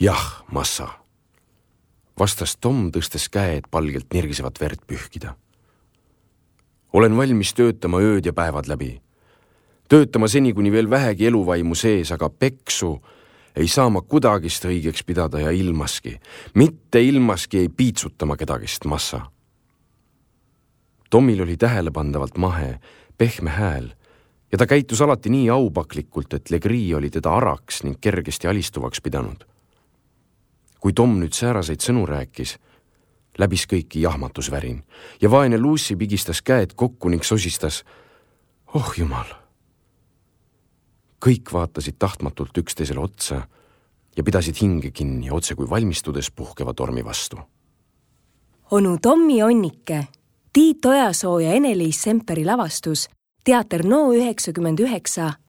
Jah, massa, vastas Tom, tõstes käe, et palgelt nirgisevat verd pühkida. Olen valmis töötama ööd ja päevad läbi. Töötama seni, kuni veel vähegi eluvaimu sees, aga peksu ei saa ma kudagist õigeks pidada ja ilmaski. Mitte ilmaski ei piitsutama kedagist, massa. Tomil oli tähelepandavalt mahe, pehme hääl ja ta käitus alati nii aupaklikult, et Legree oli teda araks ning kergesti alistuvaks pidanud. Kui Tom nüüd sääraseid sõnu rääkis, läbis kõiki jahmatusvärin ja vaene Lucy pigistas käed kokku ning sosistas, oh jumal. Kõik vaatasid tahtmatult üksteisele otsa ja pidasid hinge kinni, otse kui valmistudes puhkeva tormi vastu. Onu Tommi Onnike, Tiit Ojasoo ja Ene-Liis Semperi lavastus, Teater No 99